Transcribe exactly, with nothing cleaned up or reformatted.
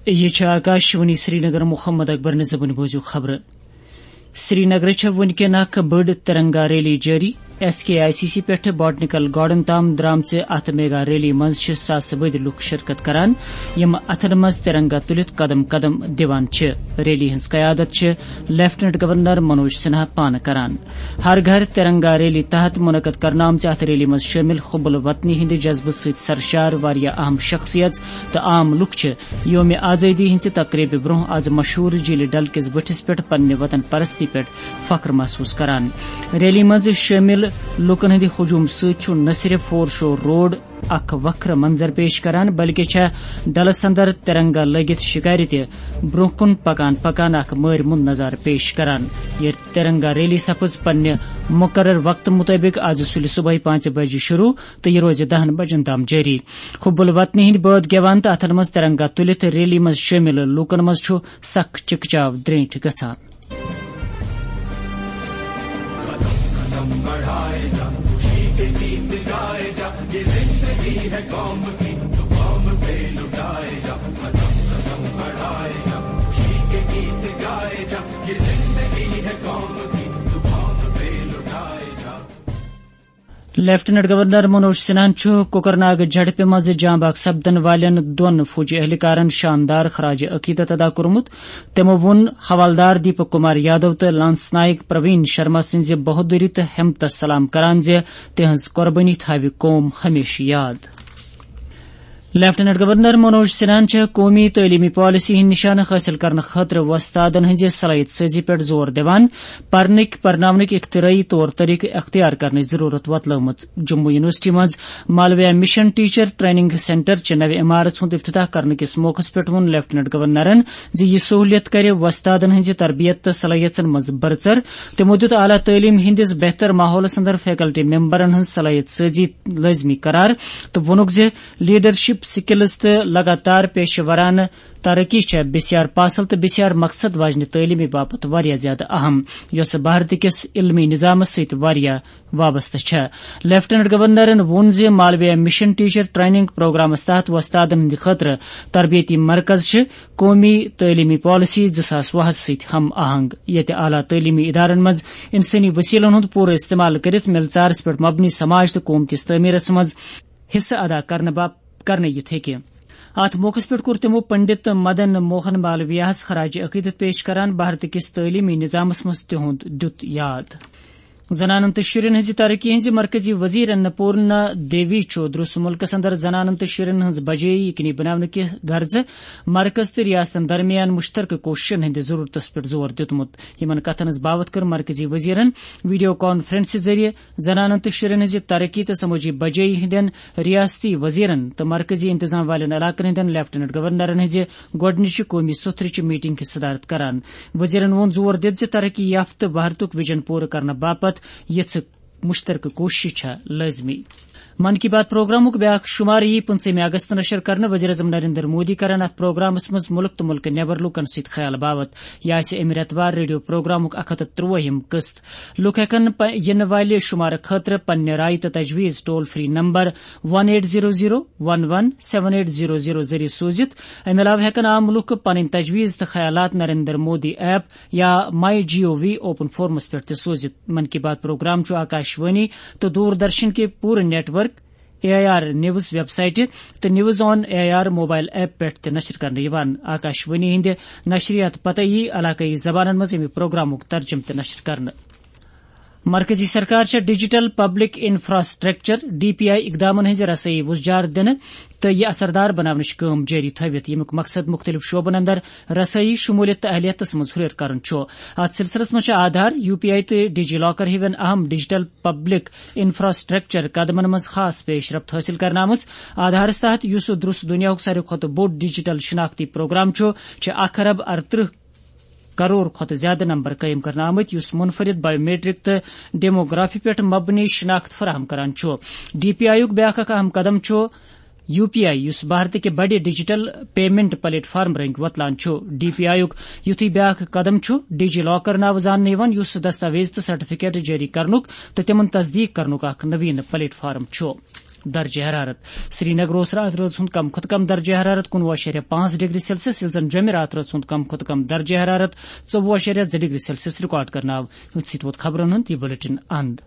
یہِ چھِ آکاشوانی سرینگر۔ محمد اکبر نظامٕنۍ بوٗزِو خبرٕ۔ سرینگرٕ چھےٚ وٕنکٮ۪ن اکھ بٔڑ ترنگا ریلی جٲری۔ S K I C C پٮ۪ٹھٕ باٹنیکل گارڈن تام درامژِ اتھ میگا ریلی منٛز چھِ ساسہٕ بٔدۍ لوٗکھ شرکت کران، یِم اتھن منٛز ترنگا تُلِتھ قدم قدم دِوان چھِ۔ ریلی ہٕنٛز قیادت چھِ لیفٹیننٹ گورنر منوج سنہا پانہٕ کران۔ ہر گھر ترنگا ریلی تحت منعقد کرنہٕ آمژِ اتھ ریلی منٛز شٲمِل حب الوطنی ہٕنٛدِ جذبہٕ سۭتۍ سرشار واریاہ اہم شخصیژ تہٕ عام لوٗکھ چھِ یومِ آزٲدی ہٕنٛزِ تقریبہِ برونٛہہ از مشہوٗر جھیلہِ ڈل کِس بٔٹھِس پٮ۪ٹھ پننہِ وطن پرستی پٮ۪ٹھ فخر محسوٗس کران۔ ریلی منٛز شٲمِل لوٗکن ہٕنٛدِ ہجوم سۭتۍ چھُ نہ صرف فور شور روڈ اکھ وکھرٕ منظر پیش کران، بلکہِ چھےٚ ڈلس اندر ترنگا لٲگِتھ شکارِ تہِ برونٛہہ کُن پکان پکان اکھ مٲرۍ مُنٛد نظارٕ پیش کران۔ یہِ ترنگا ریلی سپٕز پننہِ مقرر وقتہٕ مُطٲبِق از سُلہِ صبحٲے پانٛژِ بجہِ شروع تہٕ یہِ روزِ دَہَن بجن تام جٲری۔ حب الوطنی ہٕنٛدۍ بٲتھ گٮ۪وان تہٕ اتھن منٛز ترنگا تُلِتھ ریلی منٛز شٲمِل لوٗکن منٛز چھُ سخ چکچاو درینٹھ گژھان۔ لیفٹیننٹ گورنر منوج سنہاہن چھُ کوکرناگ جھڑپہِ منٛز جاں بحق سپدن والٮ۪ن دۄن فوجی اہلکارن شاندار خراج عقیدت ادا کوٚرمُت۔ تِمو ووٚن حوالدار دیپک کمار یادو تہٕ لانس نائک پروین شرما سٕنٛزِ بہادری تہٕ ہمتس سلام کران زِ تِہنٛز قربٲنی تھاوِ قوم ہمیشہٕ یاد۔ لیفٹیننٹ گورنر منوج سنہاہن چھےٚ قومی تعلیمی پالیسی ہٕنٛدۍ نشانہٕ حٲصِل کرنہٕ خٲطرٕ وۄستادن ہٕنٛزِ صلٲحیت سٲزی پٮ۪ٹھ زور دِوان۔ پرنٕکۍ پرناونٕکۍ اختراعی طور طریقہٕ اختیار کرنٕچ ضرورت وۄتلٲومٕژ۔ جموں یونیورسٹی منٛز مالویا مشن ٹیچر ٹریننگ سینٹر چہِ نوِ عمارژ ہُنٛد افتتاح کرنہٕ کِس موقعس پٮ۪ٹھ ووٚن لیفٹیننٹ گورنرن زِ یہِ سہولیت کرِ وۄستادن ہٕنٛزِ تربیت تہٕ صلٲحیژن منٛز بڑژر۔ تِمو دِیُت اعلیٰ تعلیٖم ہٕنٛدِس بہتر ماحولس اندر فیکلٹی ممبرن ہٕنٛز صلٲحیت سٲزی لٲزمی قرار تہٕ ووٚنُکھ زِ لیڈرشپ سکلز تہٕ لگاتار پیشہٕ ورانہٕ ترقی چھےٚ بسیار پاسل تہٕ بسیار مقصد واجنہِ تعلیمہِ باپتھ واریاہ زیادٕ اہم، یۄسہٕ بھارت کِس علمی نظامس سۭتۍ واریاہ وابستہٕ چھےٚ۔ لیفٹیننٹ گورنرن ووٚن زِ مالویا مشن ٹیچر ٹریننگ پروگرامس تحت وۄستادن ہٕنٛدِ خٲطرٕ تربیتی مرکز چھِ قومی تعلیمی پالیسی زٕ ساس وُہس سۭتۍ ہم آہنگ، ییٚتہِ اعلیٰ تعلیمی ادارن منٛز انسٲنی وسیلن ہُنٛد پوٗرٕ استعمال کٔرِتھ مِلژارس پٮ۪ٹھ مبنی سماج تہٕ قوم کِس تعمیرس منٛز حصہٕ ادا کرنہٕ باپ-، کرنہٕ یِتھ ہیٚکہِ۔ اتھ موقعس پٮ۪ٹھ کوٚر تِمو پنڈت مدن موہن مالویاہس خراج عقیدت پیش کران بھارت کِس تعلیمی نظامس منٛز تِہُنٛد دیُت یاد۔ زنانن تہٕ شُرٮ۪ن ہٕنٛزِ ترقی ہٕنٛزِ مرکزی وزیر اناپورنا دیوی چھُ درس مُلکس اندر زنانن تہٕ شُرٮ۪ن ہٕنٛز بجٲیی یقینی بناونہٕ کہِ غرضہٕ مرکز تہٕ ریاستن درمیان مشترکہٕ کوششن ہٕنٛدِ ضرورتس پٮ۪ٹھ زور دیُتمُت۔ یِمن کتھن ہٕنٛز باوتھ کٔر مرکزی وزیرن ویڈیو کانفرنسہِ ذٔریعہٕ زنانن تہٕ شُرٮ۪ن ہٕنٛزِ ترقی تہٕ سمٲجی بجٲیی ہٕنٛدٮ۪ن ریاستی وزیرن تہٕ مرکزی انتظام والٮ۪ن علاقن ہٕنٛدٮ۪ن لیفٹیننٹ گورنرن ہٕنٛزِ گۄڈٕنِچہِ قومی سوٚتھرٕچہِ میٹنگ ہٕنٛز صدارت کران۔ وزیرن ووٚن زور دِتھ زِ ترقی یافتہٕ بھارتُک ویژن پوٗرٕ کرنہٕ باپتھ یِژھٕ مشترکہٕ کوٗششہٕ چھےٚ لٲزمی۔ من کی بات پروگرامُک بیاکھ شمارٕ یی پٕنٛژٕہمہِ اگست نشر کرنہٕ۔ وزیر اعظم نریندر مودی کرن اتھ پروگرامس منٛز مُلک تہٕ مُلکہٕ نٮ۪بر لوٗکن سۭتۍ خیال باوتھ۔ یہِ آسہِ امہِ رٮ۪تہٕ وار ریڈیو پروگرامُک اکھ ہتھ تہٕ ترٛوٲہِم قسط۔ لوٗکھ ہٮ۪کن پ-، یِنہٕ والہِ شمارٕ خٲطرٕ پننہِ رایہِ تہٕ تجویز toll free number one eight zero zero one one seven eight zero zero ذٔریعہٕ سوٗزِتھ۔ امہِ علاوٕ ہٮ۪کن عام لوٗکھ پنٕنۍ تجویز تہٕ خیالات نریندر مودی ایپ یا مائی جی او وی اوپن فورمس پٮ۪ٹھ تہِ سوٗزِتھ۔ من کی بات پروگرام چھُ آکاشوانی تہٕ دوردرشن کہِ پوٗرٕ network, A I R news ویب سائٹہِ تہٕ news on A I R mobile app پٮ۪ٹھ تہِ نشر کرنہٕ یِوان۔ آکاشوانی ہٕنٛدِ نشریات پتہٕ یی علاقٲیی زبانن منٛز اَمہِ پروگرامُک ترجمہٕ تہِ نشر کرنہٕ۔ مرکزی سرکار چھےٚ digital public infrastructure, D P I, اقدامن ہٕنٛزِ رسٲیی وُژھ جار دِنہٕ تہٕ یہِ اثردار بناونٕچ کٲم جٲری تھٲوِتھ، ییٚمیُک مقصد مُختٔلِف شعبن اندر رسٲیی، شمولیت تہٕ اہلیتس منٛز ہُرٮ۪ر کرُن چھُ۔ اتھ سلسلس منٛز چھِ آدھار، یو پی آئی تہٕ ڈیجی لاکر ہِوٮ۪ن اہم ڈیجیٹل پبلک انفراسٹرکچر قدمن منٛز خاص پیش رفت حٲصِل کرنہٕ آمٕژ۔ آدھارس تحت، یُس درست دُنیاہُک ساروی کھۄتہٕ بوٚڑ ڈیجیٹل شناختی پروگرام چھُ، چھِ اکھ ارب ارترٕہ کرور کھۄتہٕ زیادٕ نمبر قٲیِم کرنہٕ آمٕتۍ، یُس منفرد بایومیٹرک تہٕ ڈیموگرافی پٮ۪ٹھ مبنی شناخت فراہم کران چھُ۔ ڈی پی آئی یُک بیاکھ اکھ اہم قدم چھُ یو پی آئی، یُس بھارتٕکہِ بڑِ ڈیجیٹل پیمنٹ پلیٹ فارم رٔنٛگۍ وۄتلان چھُ۔ ڈی پی آئی یُک یُتھُے بیاکھ قدم چھُ ڈیجی لاکر ناوٕ زاننہٕ یِوان، یُس دستاویز تہٕ سرٹیفکیٹ جٲری کرنُک تہٕ تِمن تصدیق کرنُک اکھ نویٖن پلیٹ فارم چھُ۔ درجہ حرارت۔ سری نگر اوس راتھ رٲژ ہُنٛد کم کھۄتہٕ کم درجہ حرارت کُنوُہ اَشاریہ پانٛژھ ڈگری سیلسیس، ییٚلہِ زن جوٚمہِ راتھ رٲژ ہُنٛد کم کھۄتہٕ کم درجہ حرارت ژوٚوُہ اَشاریہ زٕ ڈگری سیلسیس ریکارڈ کرنہٕ آو۔ یُتھ سۭتۍ ووت خبرن ہُنٛد یہِ بلیٹن اند۔